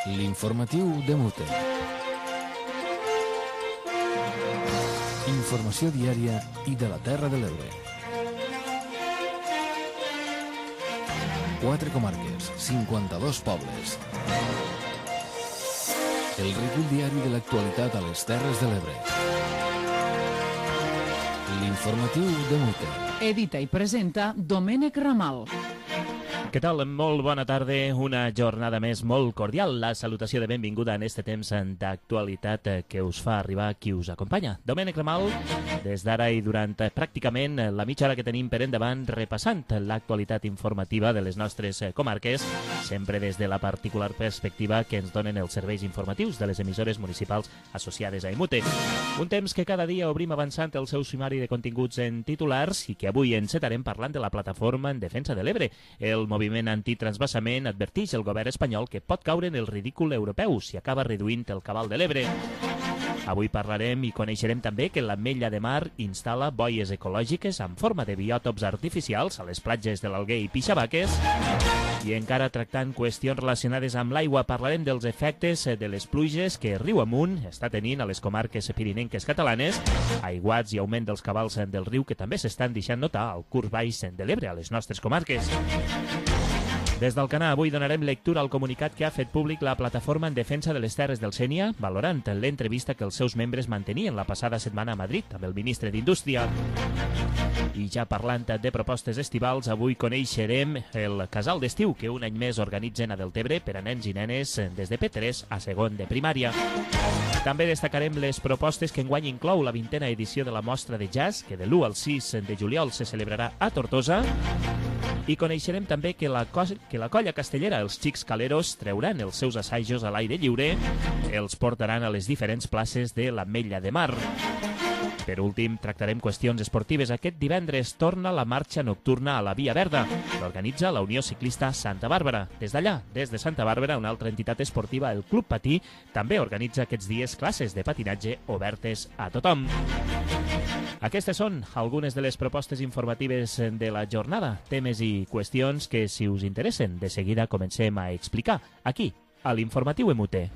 L'informatiu de Mute. Informació diària i de la Terra de l'Ebre. 4 comarques, 52 pobles. El rítol diari de l'actualitat a les Terres de l'Ebre. L'informatiu de Mute. Edita i presenta Domènec Ramal. Què tal? Molt bona tarda, una jornada més molt cordial. La salutació de benvinguda en este temps d'actualitat que us fa arribar qui us acompanya. Domènec Ramal, des d'ara i durant pràcticament la mitja hora que tenim per endavant, repassant l'actualitat informativa de les nostres comarques, sempre des de la particular perspectiva que ens donen els serveis informatius de les emissores municipals associades a EMUTE. Un temps que cada dia obrim avançant el seu sumari de continguts en titulars i que avui encetarem parlant de la plataforma en defensa de l'Ebre. El moviment antitransvasament adverteix el govern espanyol que pot caure en el ridícul europeu si acaba reduint el cabal de l'Ebre. Avui parlarem i coneixerem també que l'Ametlla de Mar instal·la boies ecològiques en forma de biòtops artificials a les platges de l'Alguer i Pixabaques. I encara tractant qüestions relacionades amb l'aigua, parlarem dels efectes de les pluges que riu amunt està tenint a les comarques pirinenques catalanes, aiguats i augment dels cabals del riu que també s'estan deixant notar al curs baix de l'Ebre a les nostres comarques. Des del Canà avui donarem lectura al comunicat que ha fet públic la Plataforma en Defensa de les Terres del Sénia, valorant l'entrevista que els seus membres mantenien la passada setmana a Madrid amb el ministre d'Indústria. I ja parlant de propostes estivals, avui coneixerem el casal d'estiu que un any més organitzen a Deltebre per a nens i nenes des de P3 a segon de primària. També destacarem les propostes que enguany inclou la 20a edició de la mostra de jazz, que de l'1 al 6 de juliol se celebrarà a Tortosa. I coneixerem també que la colla castellera, els Xics Caleros, trauran els seus assajos a l'aire lliure, els portaran a les diferents places de l'Ametlla de Mar. Per últim, tractarem qüestions esportives. Aquest divendres torna la marxa nocturna a la Via Verda. L'organitza la Unió Ciclista Santa Bàrbara. Des d'allà, des de Santa Bàrbara, una altra entitat esportiva, el Club Patí, també organitza aquests dies classes de patinatge obertes a tothom. Aquestes són algunes de les propostes informatives de la jornada, temes i qüestions que, si us interessen, de seguida comencem a explicar aquí, a l'Informatiu EMUTE.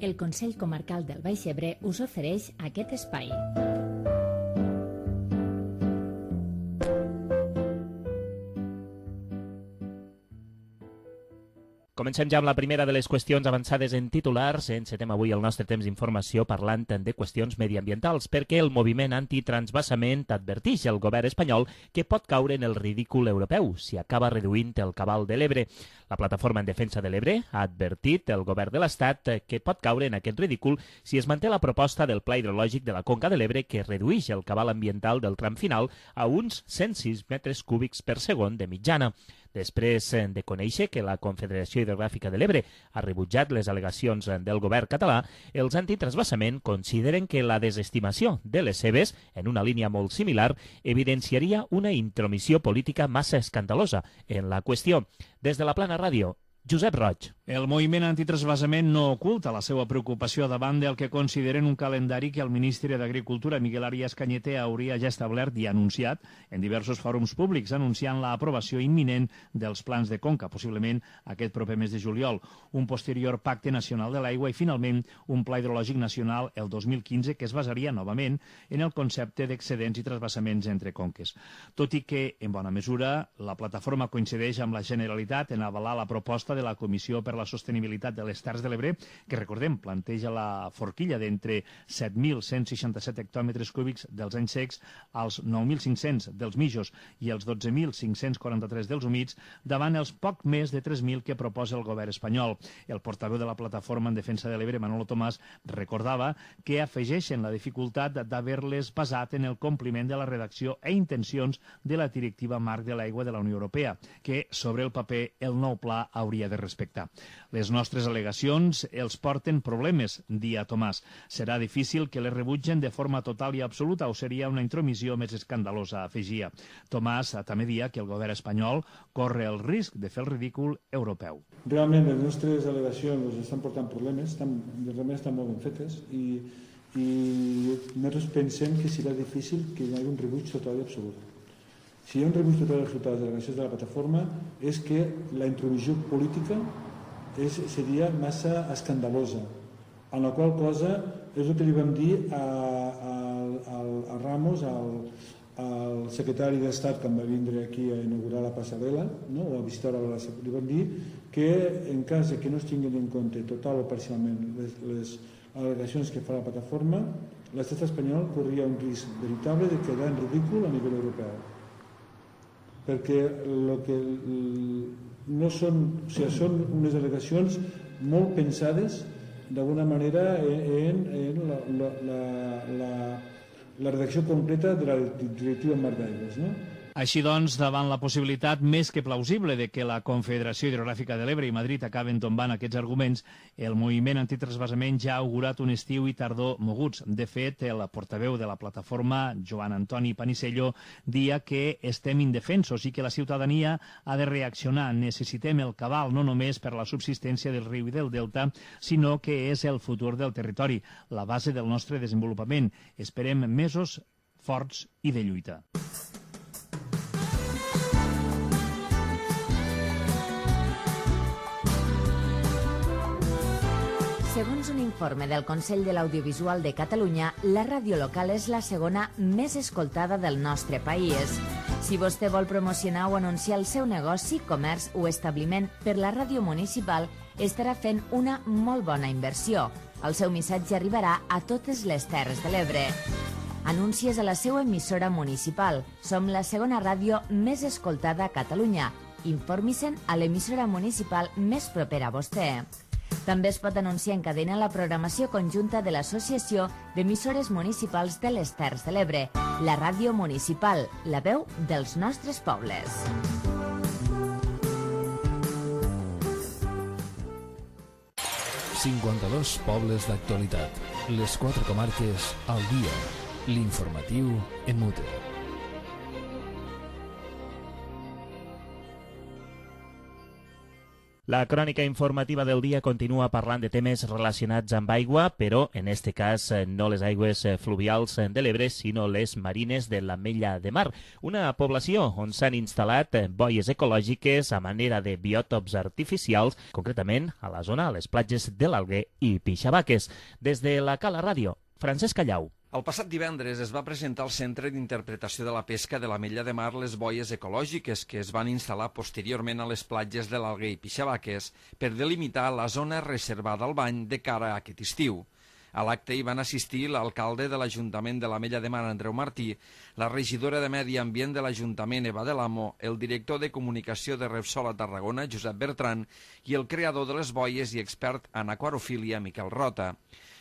El Consell Comarcal del Baix Ebre us ofereix aquest espai. Comencem ja amb la primera de les qüestions avançades en titulars. Encetem avui el nostre temps d'informació parlant de qüestions mediambientals, perquè el moviment antitransvasament adverteix al govern espanyol que pot caure en el ridícul europeu si acaba reduint el cabal de l'Ebre. La Plataforma en Defensa de l'Ebre ha advertit al govern de l'Estat que pot caure en aquest ridícul si es manté la proposta del Pla Hidrològic de la Conca de l'Ebre que redueix el cabal ambiental del tram final a uns 106 metres cúbics per segon de mitjana. Després de conèixer que la Confederació Hidrogràfica de l'Ebre ha rebutjat les al·legacions del govern català, els antitransvasament consideren que la desestimació de les seves, en una línia molt similar, evidenciaria una intromissió política massa escandalosa en la qüestió. Des de la Plana Ràdio, Josep Roig. El moviment antitransvasament no oculta la seva preocupació davant del que consideren un calendari que el ministre d'Agricultura, Miguel Arias Cañete, hauria ja establert i anunciat en diversos fòrums públics, anunciant l'aprovació imminent dels plans de conca, possiblement aquest proper mes de juliol, un posterior pacte nacional de l'aigua i, finalment, un pla hidrològic nacional el 2015 que es basaria novament en el concepte d'excedents i transvasaments entre conques. Tot i que, en bona mesura, la plataforma coincideix amb la Generalitat en avalar la proposta de la Comissió per la Sostenibilitat de les Terres de l'Ebre, que, recordem, planteja la forquilla d'entre 7.167 hectòmetres cúbics dels anys secs als 9.500 dels mijos i els 12.543 dels humits, davant els poc més de 3.000 que proposa el govern espanyol. El portaveu de la Plataforma en Defensa de l'Ebre, Manolo Tomàs, recordava que afegeixen la dificultat d'haver-les basat en el compliment de la redacció i intencions de la Directiva Marc de l'Aigua de la Unió Europea, que, sobre el paper, el nou pla hauria de respectar. Les nostres al·legacions els porten problemes, dia Tomàs. Serà difícil que les rebutgen de forma total i absoluta o seria una intromissió més escandalosa, afegia. Tomàs també dia que el govern espanyol corre el risc de fer el ridícul europeu. Realment les nostres al·legacions estan portant problemes, realment estan molt ben fetes i nosaltres pensem que serà difícil que hi hagi un rebuig total i absolut. si hi ha un revist total dels resultats de les delegacions de la plataforma és que la intromissió política seria massa escandalosa, en la qual cosa és el que li vam dir a Ramos, al secretari d'Estat, que em va vindre aquí a inaugurar la passarel·la, no? O a visitar li vam dir que en cas que no es tinguin en compte total o parcialment les al·legacions que fa la plataforma, l'estat espanyol corria un risc veritable de quedar en ridícul a nivell europeu. Perquè no són, o sigui, són unes al·legacions molt pensades d'alguna manera en la redacció completa de la directiva Marc d'Aigües, no? Així doncs, davant la possibilitat més que plausible de que la Confederació Hidrogràfica de l'Ebre i Madrid acaben tombant aquests arguments, el moviment antitransvasament ja ha augurat un estiu i tardor moguts. De fet, el portaveu de la plataforma, Joan Antoni Panisello, dia que estem indefensos i que la ciutadania ha de reaccionar. Necessitem el cabal no només per la subsistència del riu i del delta, sinó que és el futur del territori, la base del nostre desenvolupament. Esperem mesos forts i de lluita. Segons un informe del Consell de l'Audiovisual de Catalunya, la ràdio local és la segona més escoltada del nostre país. Si vostè vol promocionar o anunciar el seu negoci, comerç o establiment per la ràdio municipal, estarà fent una molt bona inversió. El seu missatge arribarà a totes les Terres de l'Ebre. Anuncies a la seva emissora municipal. Som la segona ràdio més escoltada a Catalunya. Informi-se'n a l'emissora municipal més propera a vostè. També es pot anunciar en cadena la programació conjunta de l'Associació d'Emissores Municipals de les Terres de l'Ebre, la ràdio municipal, la veu dels nostres pobles. ...52 pobles d'actualitat. Les 4 comarques al dia. L'informatiu en mute. La crònica informativa del dia continua parlant de temes relacionats amb aigua, però en este cas no les aigües fluvials de l'Ebre, sinó les marines de l'Ametlla de Mar, una població on s'han instal·lat boies ecològiques a manera de biòtops artificials, concretament a la zona, a les platges de l'Alguer i Pixabaques. Des de la Cala Ràdio, Francesc Callau. El passat divendres es va presentar al Centre d'Interpretació de la Pesca de l'Ametlla de Mar les boies ecològiques que es van instal·lar posteriorment a les platges de l'Alguer i Pixabaques per delimitar la zona reservada al bany de cara a aquest estiu. A l'acte hi van assistir l'alcalde de l'Ajuntament de l'Ametlla de Mar, Andreu Martí, la regidora de Medi Ambient de l'Ajuntament, Eva de l'Amo, el director de Comunicació de Repsol a Tarragona, Josep Bertran, i el creador de les boies i expert en aquarofília, Miquel Rota.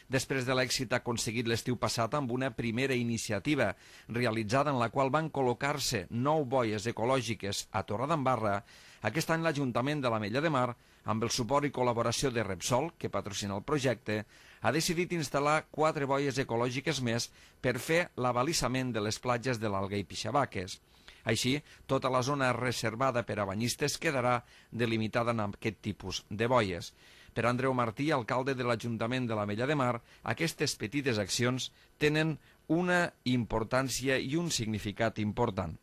Després de l'èxit aconseguit l'estiu passat amb una primera iniciativa realitzada en la qual van col·locar-se 9 boies ecològiques a Torredembarra, aquest any l'Ajuntament de l'Ametlla de Mar, amb el suport i col·laboració de Repsol, que patrocina el projecte, ha decidit instal·lar 4 boies ecològiques més per fer l'abalisament de les platges de l'Alguer i Pixabaques. Així, tota la zona reservada per a banyistes quedarà delimitada en aquest tipus de boies. Per Andreu Martí, alcalde de l'Ajuntament de l'Ametlla de Mar, aquestes petites accions tenen una importància i un significat important.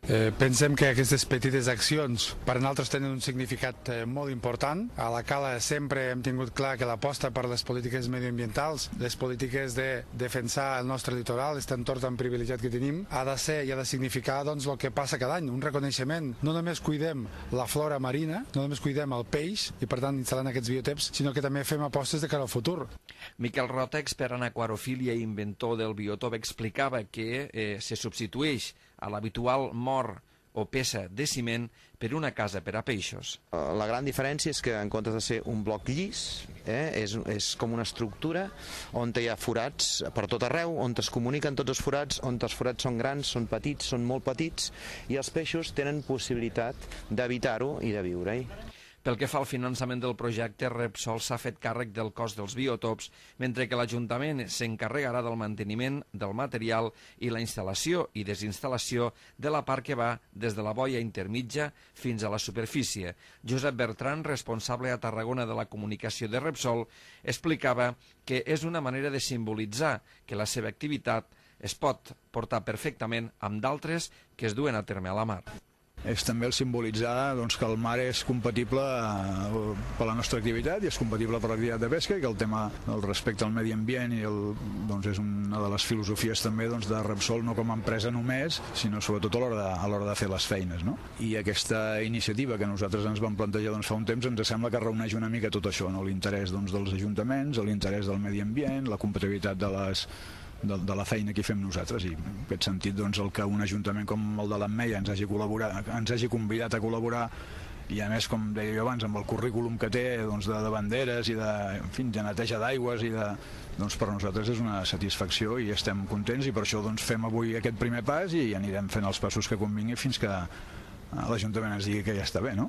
Pensem que aquestes petites accions per a nosaltres tenen un significat molt important. A la Cala sempre hem tingut clar que l'aposta per les polítiques medioambientals, les polítiques de defensar el nostre litoral, aquest entorn tan privilegiat que tenim, ha de ser i ha de significar doncs, el que passa cada any, un reconeixement. No només cuidem la flora marina, no només cuidem el peix i per tant instal·lant aquests biotops, sinó que també fem apostes de cara al futur. Miquel Rota, expert en aquarofília i inventor del biòtop, explicava que se substitueix a l'habitual mort o peça de ciment per una casa per a peixos. La gran diferència és que en comptes de ser un bloc llis, és com una estructura on hi ha forats per tot arreu, on es comuniquen tots els forats, on els forats són grans, són petits, són molt petits, i els peixos tenen possibilitat d'habitar-ho i de viure-hi. Pel que fa al finançament del projecte, Repsol s'ha fet càrrec del cost dels biotops, mentre que l'Ajuntament s'encarregarà del manteniment del material i la instal·lació i desinstal·lació de la part que va des de la boia intermitja fins a la superfície. Josep Bertran, responsable a Tarragona de la comunicació de Repsol, explicava que és una manera de simbolitzar que la seva activitat es pot portar perfectament amb d'altres que es duen a terme a la mar. És també el simbolitzar que el mar és compatible per la nostra activitat i és compatible per l'activitat de pesca, i que el tema del respecte al medi ambient és una de les filosofies també de Repsol, no com a empresa només, sinó sobretot a l'hora de fer les feines. No? I aquesta iniciativa que nosaltres ens vam plantejar fa un temps ens sembla que reuneix una mica tot això, no? L'interès dels ajuntaments, l'interès del medi ambient, la competitivitat de la feina que fem nosaltres, i en aquest sentit el que un ajuntament com el de l'Ametlla ens hagi convidat a col·laborar, i a més, com deia jo abans, amb el currículum que té de banderes i de neteja d'aigües per nosaltres és una satisfacció i estem contents, i per això fem avui aquest primer pas i anirem fent els passos que convingui fins que l'Ajuntament ens digui que ja està bé, no?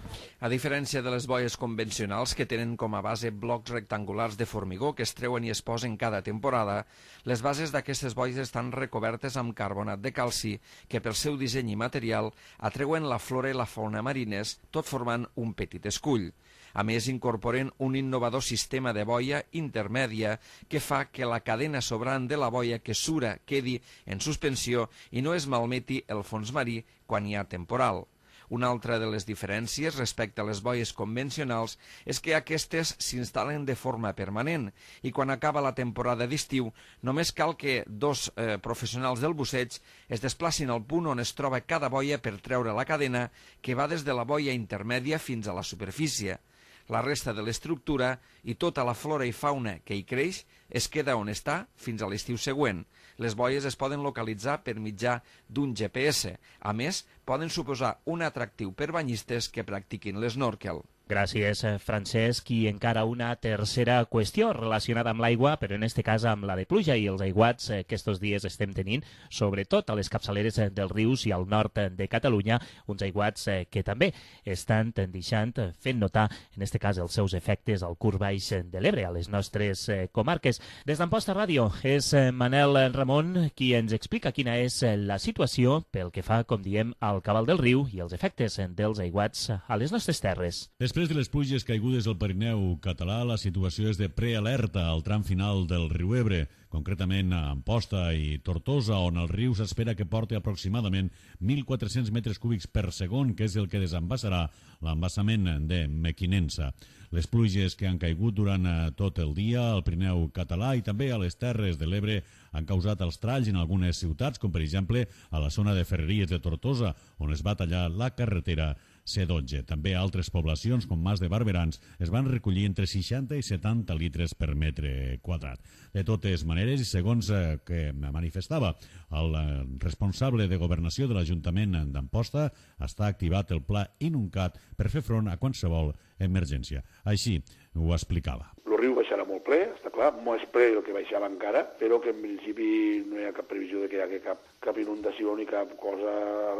A diferència de les boies convencionals, que tenen com a base blocs rectangulars de formigó que es treuen i es posen cada temporada, les bases d'aquestes boies estan recobertes amb carbonat de calci, que pel seu disseny i material atreuen la flora i la fauna marines, tot formant un petit escull. A més, incorporen un innovador sistema de boia intermèdia que fa que la cadena sobrant de la boia que sura quedi en suspensió i no es malmeti el fons marí quan hi ha temporal. Una altra de les diferències respecte a les boies convencionals és que aquestes s'instal·len de forma permanent i quan acaba la temporada d'estiu només cal que dos professionals del busseig es desplacin al punt on es troba cada boia per treure la cadena que va des de la boia intermèdia fins a la superfície. La resta de l'estructura i tota la flora i fauna que hi creix es queda on està fins a l'estiu següent. Les boies es poden localitzar per mitjà d'un GPS. A més, poden suposar un atractiu per banyistes que practiquin l'snorkel. Gràcies, Francesc. I encara una tercera qüestió relacionada amb l'aigua, però en aquest cas amb la de pluja i els aiguats que estos dies estem tenint, sobretot a les capçaleres dels rius i al nord de Catalunya, uns aiguats que també estan fent notar, en aquest cas, els seus efectes al curs baix de l'Ebre, a les nostres comarques. Des d'Amposta Ràdio és Manel Ramon qui ens explica quina és la situació pel que fa, com diem, al cabal del riu i els efectes dels aiguats a les nostres terres. Després de les pluges caigudes al Pirineu català, la situació és de prealerta al tram final del riu Ebre, concretament a Amposta i Tortosa, on el riu s'espera que porti aproximadament 1.400 metres cúbics per segon, que és el que desembassarà l'embassament de Mequinensa. Les pluges que han caigut durant tot el dia al Pirineu català i també a les Terres de l'Ebre han causat els tralls en algunes ciutats, com per exemple a la zona de Ferreries de Tortosa, on es va tallar la carretera C12. També a altres poblacions, com Mas de Barberans, es van recollir entre 60 i 70 litres per metre quadrat. De totes maneres, i segons que manifestava el responsable de governació de l'Ajuntament d'Amposta, està activat el pla Inuncat per fer front a qualsevol emergència. Així ho explicava. El riu baixarà molt ple, està clar, molt ple el que baixava encara, però que en principi no hi ha cap previsió de que hi hagi cap inundació ni cap cosa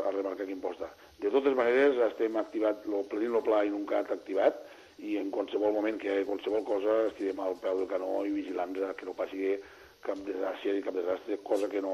a remarcar aquí en Amposta. De totes maneres, estem activat, tenim el pla Inuncat activat, i en qualsevol moment que hi hagi qualsevol cosa estirem al peu del canó i vigilants que no passi cap desgràcia ni cap desastre, cosa que en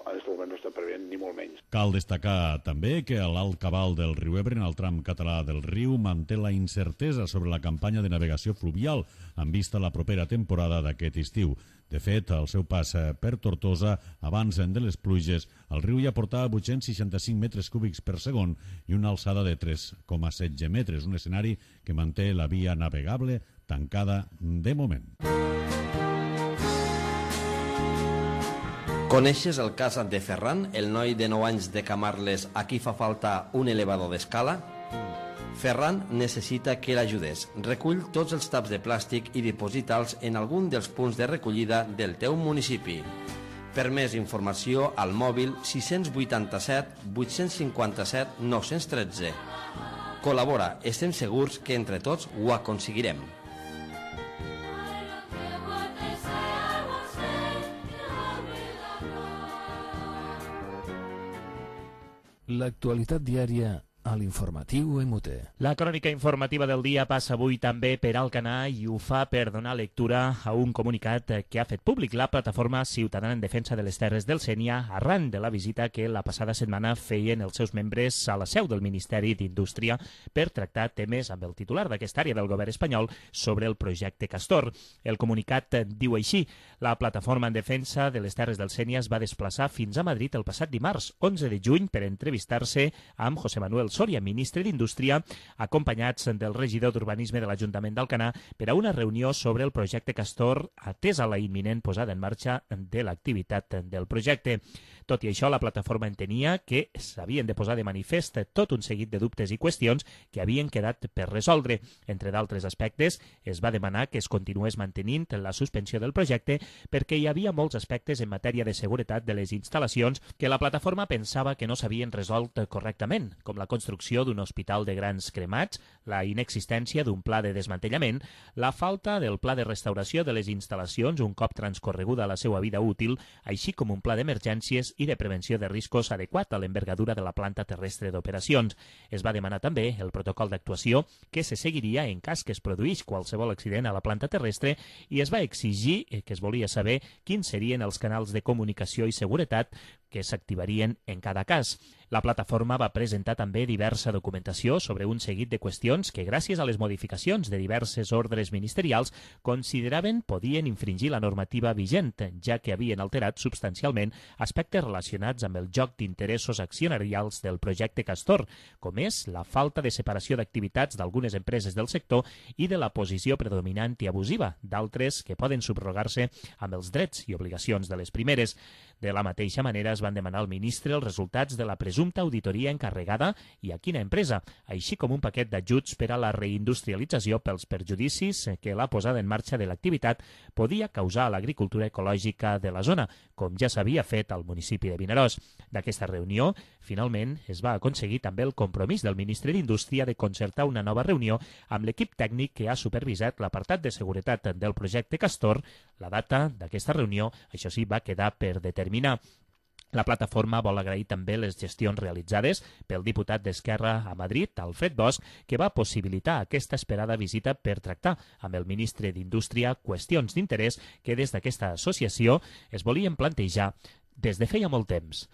aquest moment no està preveient, ni molt menys. Cal destacar també que l'alt cabal del riu Ebre, en el tram català del riu, manté la incertesa sobre la campanya de navegació fluvial en vista a la propera temporada d'aquest estiu. De fet, al seu pas per Tortosa, abans de les pluges, el riu ja portava 865 metres cúbics per segon i una alçada de 3,16 metres, un escenari que manté la via navegable tancada de moment. Coneixes el cas de Ferran, el noi de 9 anys de Camarles a qui fa falta un elevador d'escala? Ferran necessita que l'ajudes. Recull tots els taps de plàstic i diposita'ls en algun dels punts de recollida del teu municipi. Per més informació, al mòbil 687 857 913. Col·labora, estem segurs que entre tots ho aconseguirem. L'actualitat diària a l'informatiu EMUTE. La crònica informativa del dia passa avui també per Alcanar i ho fa per donar lectura a un comunicat que ha fet públic la plataforma ciutadana en defensa de les terres del Sénia arran de la visita que la passada setmana feien els seus membres a la seu del Ministeri d'Indústria per tractar temes amb el titular d'aquesta àrea del govern espanyol sobre el projecte Castor. El comunicat diu així: la plataforma en defensa de les terres del Sénia es va desplaçar fins a Madrid el passat dimarts 11 de juny per entrevistar-se amb José Manuel Soria, ministre d'Indústria, acompanyats del regidor d'Urbanisme de l'Ajuntament d'Alcanar per a una reunió sobre el projecte Castor atès a la imminent posada en marxa de l'activitat del projecte. Tot i això, la plataforma entenia que s'havien de posar de manifest tot un seguit de dubtes i qüestions que havien quedat per resoldre. Entre d'altres aspectes, es va demanar que es continués mantenint la suspensió del projecte perquè hi havia molts aspectes en matèria de seguretat de les instal·lacions que la plataforma pensava que no s'havien resolt correctament, com la construcció d'un hospital de grans cremats, la inexistència d'un pla de desmantellament, la falta del pla de restauració de les instal·lacions un cop transcorreguda la seva vida útil, així com un pla d'emergències i de prevenció de riscos adequat a l'envergadura de la planta terrestre d'operacions. Es va demanar també el protocol d'actuació que se seguiria en cas que es produís qualsevol accident a la planta terrestre i es va exigir que es volia saber quins serien els canals de comunicació i seguretat que s'activarien en cada cas. La plataforma va presentar també diversa documentació sobre un seguit de qüestions que, gràcies a les modificacions de diverses ordres ministerials, consideraven podien infringir la normativa vigent, ja que havien alterat substancialment aspectes relacionats amb el joc d'interessos accionarials del projecte Castor, com és la falta de separació d'activitats d'algunes empreses del sector i de la posició predominant i abusiva d'altres que poden subrogar-se amb els drets i obligacions de les primeres. De la mateixa manera, es van demanar al ministre els resultats de la presumpta auditoria encarregada i a quina empresa, així com un paquet d'ajuts per a la reindustrialització pels perjudicis que la posada en marxa de l'activitat podia causar a l'agricultura ecològica de la zona, com ja s'havia fet al municipi de Vinaròs. D'aquesta reunió, finalment, es va aconseguir també el compromís del ministre d'Indústria de concertar una nova reunió amb l'equip tècnic que ha supervisat l'apartat de seguretat del projecte Castor. La data d'aquesta reunió, això sí, va quedar per determinar. La plataforma vol agrair també les gestions realitzades pel diputat d'Esquerra a Madrid, Alfred Bosch, que va possibilitar aquesta esperada visita per tractar amb el ministre d'Indústria qüestions d'interès que des d'aquesta associació es volien plantejar des de feia molt temps.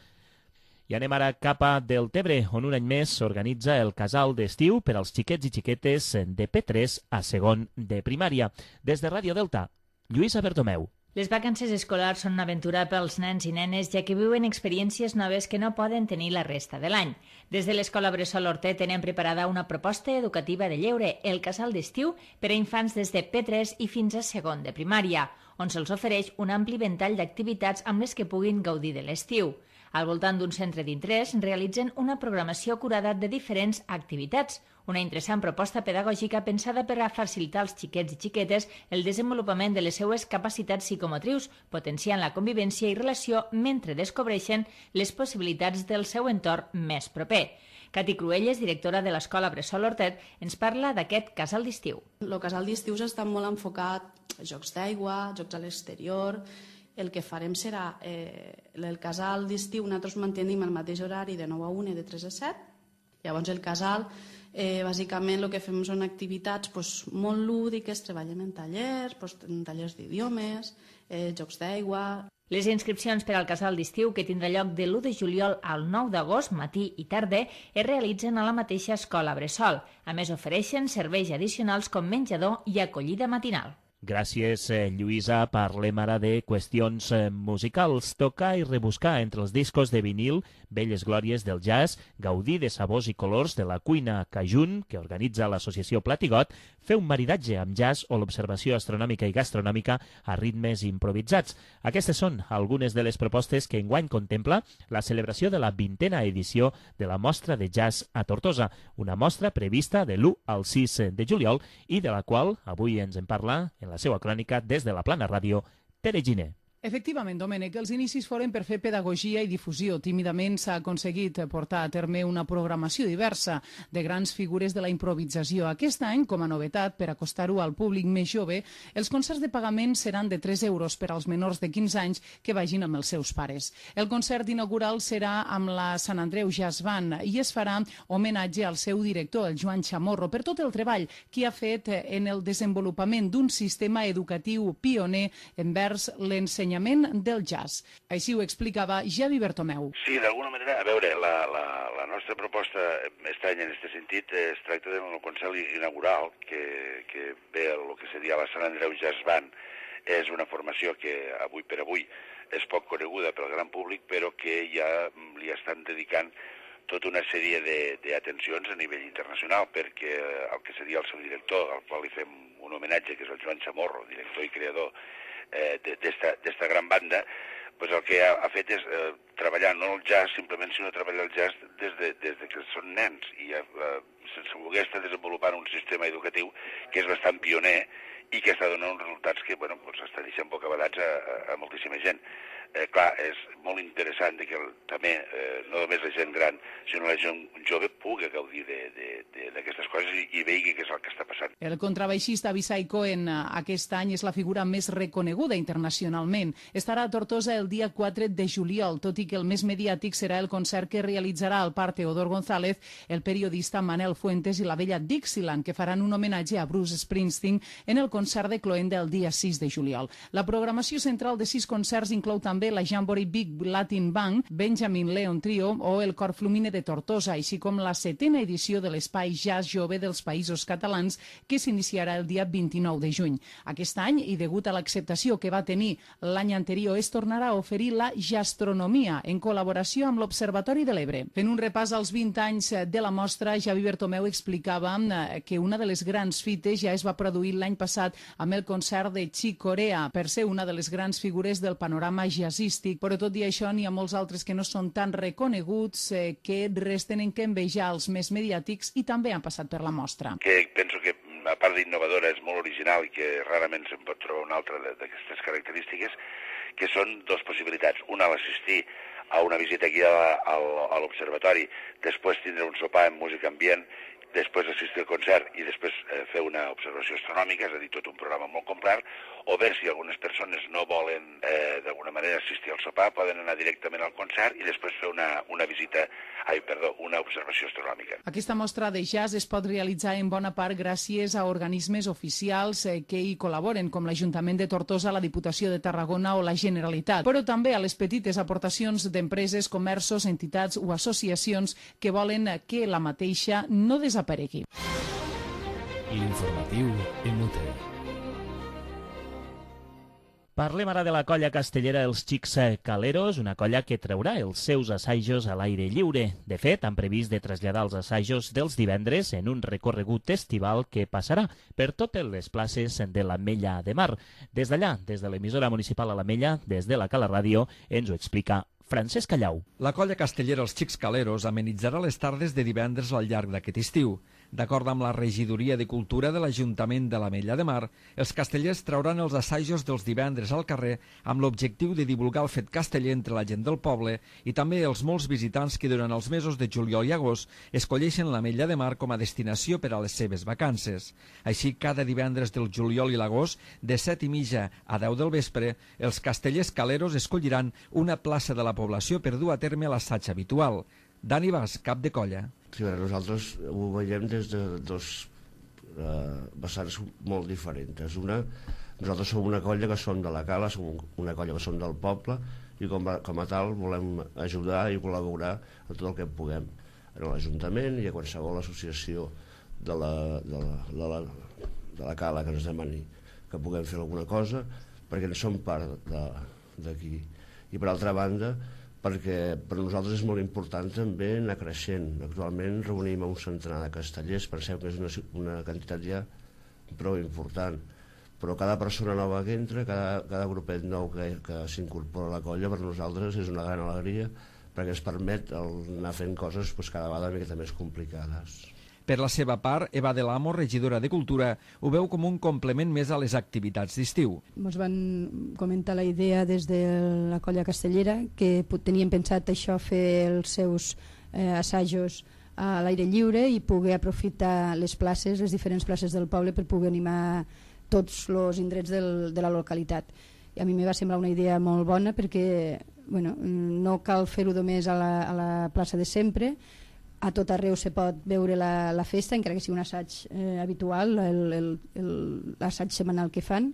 I anem ara cap a Deltebre, on un any més s'organitza el casal d'estiu per als xiquets i xiquetes de P3 a segon de primària. Des de Ràdio Delta, Lluïsa Bertomeu. Les vacances escolars són una aventura pels nens i nenes, ja que viuen experiències noves que no poden tenir la resta de l'any. Des de l'Escola Bressol Hortet tenen preparada una proposta educativa de lleure, el casal d'estiu, per a infants des de P3 i fins a segon de primària, on se'ls ofereix un ampli ventall d'activitats amb les que puguin gaudir de l'estiu. Al voltant d'un centre d'interès realitzen una programació curada de diferents activitats, una interessant proposta pedagògica pensada per a facilitar als xiquets i xiquetes el desenvolupament de les seues capacitats psicomotrius, potenciant la convivència i relació mentre descobreixen les possibilitats del seu entorn més proper. Cati Cruelles, directora de l'Escola Bressol Hortet, ens parla d'aquest casal d'estiu. El casal d'estiu està molt enfocat a jocs d'aigua, jocs a l'exterior. El que farem serà el casal d'estiu, nosaltres mantenim el mateix horari de 9 a 1 i de 3 a 7. Llavors el casal, bàsicament el que fem són activitats molt lúdiques, treballem en tallers d'idiomes, jocs d'aigua. Les inscripcions per al casal d'estiu, que tindrà lloc de l'1 de juliol al 9 d'agost, matí i tarda, es realitzen a la mateixa escola Bressol. A més, ofereixen serveis addicionals com menjador i acollida matinal. Gràcies, Lluïsa. Parlem ara de qüestions musicals. Tocar i rebuscar entre els discos de vinil, velles glòries del jazz, gaudir de sabors i colors de la cuina Cajun, que organitza l'associació Platigot, fer un maridatge amb jazz o l'observació astronòmica i gastronòmica a ritmes improvisats. Aquestes són algunes de les propostes que enguany contempla la celebració de la 20a edició de la Mostra de Jazz a Tortosa, una mostra prevista de l'1 al 6 de juliol i de la qual avui ens en parla en la seva crònica des de la Plana Ràdio, Tere Giner. Efectivament, Domènec, els inicis foren per fer pedagogia i difusió. Tímidament s'ha aconseguit portar a terme una programació diversa de grans figures de la improvisació. Aquest any, com a novetat, per acostar-ho al públic més jove, els concerts de pagament seran de 3 euros per als menors de 15 anys que vagin amb els seus pares. El concert inaugural serà amb la Sant Andreu Jazz Band i es farà homenatge al seu director, el Joan Chamorro, per tot el treball que ha fet en el desenvolupament d'un sistema educatiu pioner envers l'ensenyament del jazz. Així ho explicava Javi Bertomeu. Sí, d'alguna manera, a veure, la nostra proposta aquest any en aquest sentit es tracta d'un concert inaugural que ve el que seria la Sant Andreu Jazz Band. És una formació que avui per avui és poc coneguda pel gran públic, però que ja li estan dedicant tota una sèrie d'atencions a nivell internacional, perquè el que seria el seu director, al qual li fem un homenatge, que és el Joan Chamorro, director i creador d'esta gran banda, pues el que ha fet és treballar no el jazz simplement, sinó treballar el jazz des de que són nens i sense voler estar desenvolupant un sistema educatiu que és bastant pioner i que està donant uns resultats que està deixant bocabadats a moltíssima gent. Clar, és molt interessant que també no només la gent gran, sinó la gent jove pugui gaudir d'aquestes coses i vegi què és el que està passant. El contrabaixista Abisai Cohen aquest any és la figura més reconeguda internacionalment. Estarà a Tortosa el dia 4 de juliol, tot i que el més mediàtic serà el concert que realitzarà al Parc Teodor González el periodista Manel Fuentes i la vella Dixieland, que faran un homenatge a Bruce Springsteen en el concert de Cloenda el dia 6 de juliol. La programació central de 6 concerts inclou també la Jamboree Big Latin Band, Benjamin Leon Trio o el Cor Flumine de Tortosa, així com la 7ª edició de l'Espai Jazz Jove dels Països Catalans, que s'iniciarà el dia 29 de juny. Aquest any, i degut a l'acceptació que va tenir l'any anterior, es tornarà a oferir la gastronomia en col·laboració amb l'Observatori de l'Ebre. Fent un repàs als 20 anys de la mostra, Javi Bertomeu explicava que una de les grans fites ja es va produir l'any passat amb el concert de Chick Corea, per ser una de les grans figures del panorama jazzístic, però tot i això n'hi ha molts altres que no són tan reconeguts, que res tenen que envejar els més mediàtics i també han passat per la mostra. Que penso que, a part d'innovadora, és molt original i que rarament se'n pot trobar una altra d'aquestes característiques, que són dues possibilitats. Una, l'assistir a una visita aquí a l'Observatori, després tindre un sopar amb música ambient, després assistir al concert i després fer una observació astronòmica, és a dir, tot un programa molt complet, o bé si algunes persones no volen d'alguna manera assistir al sopar, poden anar directament al concert i després fer una observació astronòmica. Aquesta mostra de jazz es pot realitzar en bona part gràcies a organismes oficials que hi col·laboren, com l'Ajuntament de Tortosa, la Diputació de Tarragona o la Generalitat, però també a les petites aportacions d'empreses, comerços, entitats o associacions que volen que la mateixa no desaparegui. L'informatiu en UTE. Parlem ara de la colla castellera Els Xics Caleros, una colla que traurà els seus assajos a l'aire lliure. De fet, han previst de traslladar els assajos dels divendres en un recorregut estival que passarà per totes les places de l'Ametlla de Mar. Des d'allà, des de l'emissora municipal a l'Ametlla, des de la Cala Ràdio, ens ho explica Francesc Callau. La colla castellera Els Xics Caleros amenitzarà les tardes de divendres al llarg d'aquest estiu. D'acord amb la regidoria de Cultura de l'Ajuntament de l'Ametlla de Mar, els castellers trauran els assajos dels divendres al carrer amb l'objectiu de divulgar el fet casteller entre la gent del poble i també els molts visitants que durant els mesos de juliol i agost escolleixen l'Ametlla de Mar com a destinació per a les seves vacances. Així, cada divendres del juliol i l'agost, de 7:30 a 10 del vespre, els castellers caleros escolliran una plaça de la població per dur a terme l'assaig habitual. Dani Bas, cap de colla. Sí, nosaltres ho veiem des de dos vessants molt diferents. Nosaltres som una colla que som de la Cala, som una colla que som del poble i com a tal volem ajudar i col·laborar en tot el que puguem en l'Ajuntament i a qualsevol associació de la Cala que ens demani que puguem fer alguna cosa perquè en som part d'aquí. I per altra banda, perquè per nosaltres és molt important també anar creixent. Actualment reunim un centenar de castellers, penseu que és una quantitat ja prou important, però cada persona nova que entra, cada grupet nou que s'incorpora a la colla, per nosaltres és una gran alegria perquè ens permet anar fent coses cada vegada una miqueta més complicades. Per la seva part, Eva de l'Amo, regidora de Cultura, ho veu com un complement més a les activitats d'estiu. Ens van comentar la idea des de la Colla Castellera que tenien pensat això, fer els seus assajos a l'aire lliure i poder aprofitar les places, les diferents places del poble, per poder animar tots els indrets de la localitat. I a mi me va semblar una idea molt bona perquè no cal fer-ho només a la plaça de sempre, a tot arreu se pot veure la festa, encara que sigui un assaig habitual, l'assaig setmanal que fan,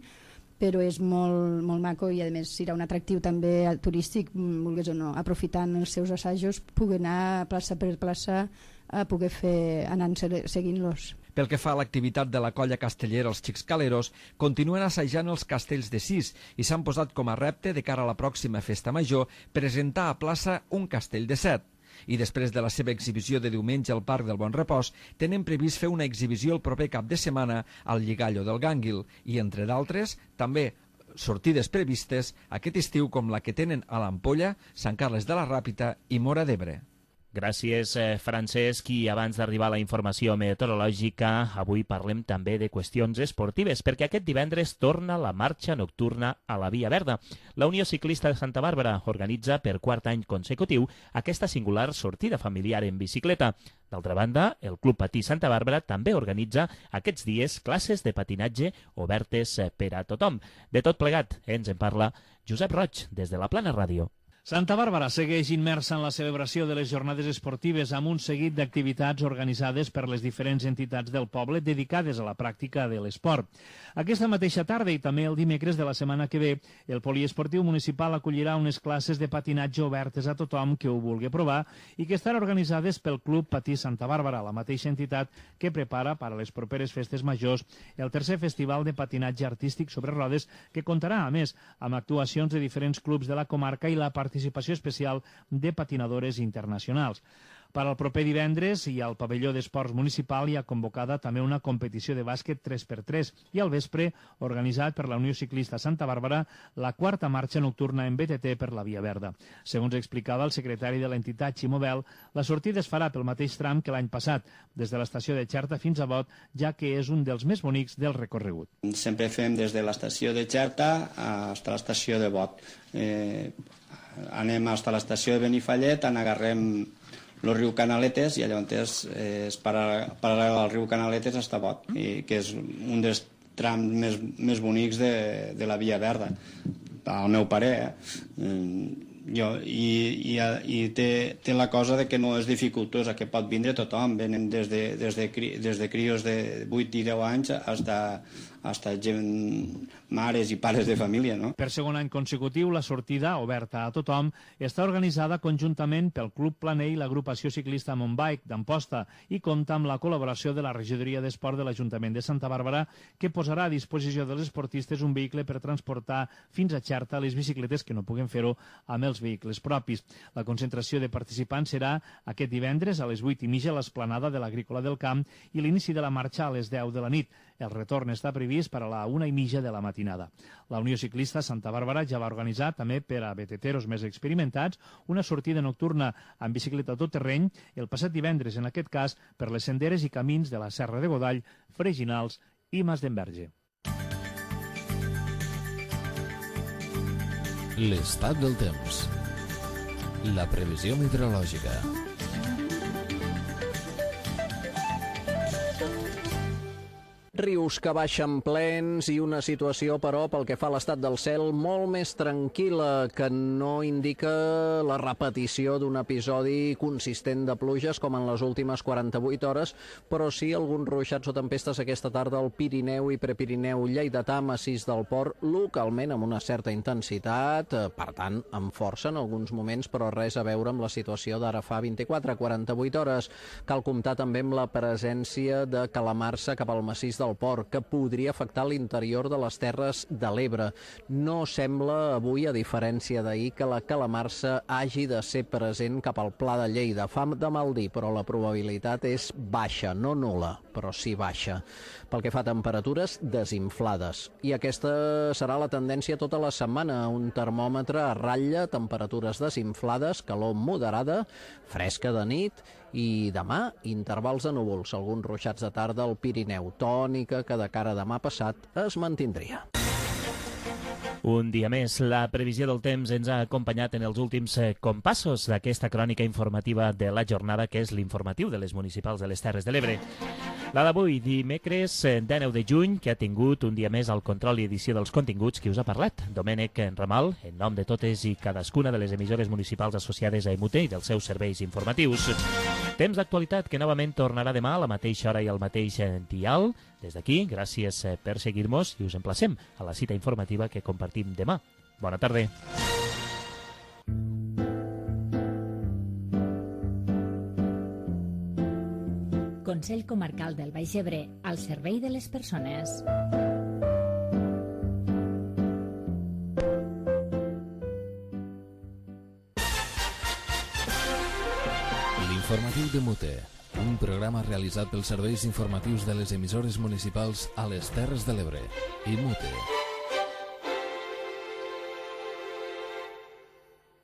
però és molt maco i a més serà un atractiu també turístic, vulguis o no, aprofitant els seus assajos, poder anar plaça per plaça a poder anar seguint-los. Pel que fa a l'activitat de la Colla Castellera, els Xics Caleros continuen assajant els castells de 6 i s'han posat com a repte de cara a la pròxima festa major presentar a plaça un castell de 7. I després de la seva exhibició de diumenge al Parc del Bon Repòs, tenen previst fer una exhibició el proper cap de setmana al Lligallo del Gànguil i, entre d'altres, també sortides previstes aquest estiu com la que tenen a l'Ampolla, Sant Carles de la Ràpita i Móra d'Ebre. Gràcies, Francesc. I abans d'arribar a la informació meteorològica, avui parlem també de qüestions esportives, perquè aquest divendres torna la marxa nocturna a la Via Verda. La Unió Ciclista de Santa Bàrbara organitza per quart any consecutiu aquesta singular sortida familiar en bicicleta. D'altra banda, el Club Patí Santa Bàrbara també organitza aquests dies classes de patinatge obertes per a tothom. De tot plegat, ens en parla Josep Roig, des de la Plana Ràdio. Santa Bàrbara segueix immersa en la celebració de les jornades esportives amb un seguit d'activitats organitzades per les diferents entitats del poble dedicades a la pràctica de l'esport. Aquesta mateixa tarda i també el dimecres de la setmana que ve, el poliesportiu municipal acollirà unes classes de patinatge obertes a tothom que ho vulgui provar i que estan organitzades pel Club Patí Santa Bàrbara, la mateixa entitat que prepara per a les properes festes majors el tercer festival de patinatge artístic sobre rodes, que comptarà, a més, amb actuacions de diferents clubs de la comarca i la participació especial de patinadores internacionals. Per al proper divendres i al pavelló d'esports municipal hi ha convocada també una competició de bàsquet 3x3 i al vespre, organitzat per la Unió Ciclista Santa Bàrbara, la quarta marxa nocturna en BTT per la Via Verda. Segons explicava el secretari de l'entitat, Ximo Bel, la sortida es farà pel mateix tram que l'any passat, des de l'estació de Xerta fins a Bot, ja que és un dels més bonics del recorregut. Sempre fem des de l'estació de Xerta fins a l'estació de Bot. Anem fins a l'estació de Benifallet, agarrem el riu Canaletes i llavors és paral·lel al riu Canaletes fins a Bot, que és un dels trams més bonics de la Via Verda, al meu parer. I té la cosa de que no és dificultosa, que pot vindre tothom. Venen des de crios de 8 i 10 anys fins a gent, mares i pares de família, no? Per segon any consecutiu, la sortida, oberta a tothom, està organitzada conjuntament pel Club Planell i l'agrupació ciclista Montbike d'Amposta i compta amb la col·laboració de la Regidoria d'Esport de l'Ajuntament de Santa Bàrbara, que posarà a disposició dels esportistes un vehicle per transportar fins a Xerta les bicicletes que no puguen fer-ho amb els vehicles propis. La concentració de participants serà aquest divendres a les 8:30 a l'esplanada de l'Agrícola del Camp i l'inici de la marxa a les 10 de la nit. El retorn està previst per a la 1:30 de la matinada. La Unió Ciclista Santa Bàrbara ja va organitzar, també per a BTTeros més experimentats, una sortida nocturna amb bicicleta tot terreny el passat divendres, en aquest cas, per les senderes i camins de la Serra de Godall, Freginals i Mas d'Enverge. L'estat del temps. La previsió meteorològica. Rius que baixen plens i una situació, però, pel que fa a l'estat del cel, molt més tranquil·la, que no indica la repetició d'un episodi consistent de pluges com en les últimes 48 hores, però sí alguns ruixats o tempestes aquesta tarda al Pirineu i Prepirineu lleidatà, massís del Port, localment amb una certa intensitat, per tant, amb força en alguns moments, però res a veure amb la situació d'ara fa 24-48 hores. Cal comptar també amb la presència de calamarsa cap al massís del Port, que podria afectar l'interior de les Terres de l'Ebre. No sembla avui, a diferència d'ahir, que la calamarsa hagi de ser present cap al Pla de Lleida. Fa de mal dir, però la probabilitat és baixa, no nul·la, però sí baixa. Pel que fa a temperatures, desinflades. I aquesta serà la tendència tota la setmana. Un termòmetre a ratlla, temperatures desinflades, calor moderada, fresca de nit i demà intervals de núvols, alguns ruixats de tarda al Pirineu, tònica que de cara a demà passat es mantindria. Un dia més, la previsió del temps ens ha acompanyat en els últims compassos d'aquesta crònica informativa de la jornada, que és l'informatiu de les municipals de les Terres de l'Ebre. La d'avui, dimecres 19 de juny, que ha tingut un dia més el control i edició dels continguts, qui us ha parlat? Domènec Ramal, en nom de totes i cadascuna de les emissores municipals associades a EMUTE i dels seus serveis informatius. Temps d'actualitat que novament tornarà demà a la mateixa hora i al mateix dial. Des d'aquí, gràcies per seguir-nos i us emplacem a la cita informativa que compartim demà. Bona tarda. Consell Comarcal del Baix Ebre, al servei de les persones. L'informatiu de Mute, un programa realitzat pels serveis informatius de les emissores municipals a les Terres de l'Ebre i Mute.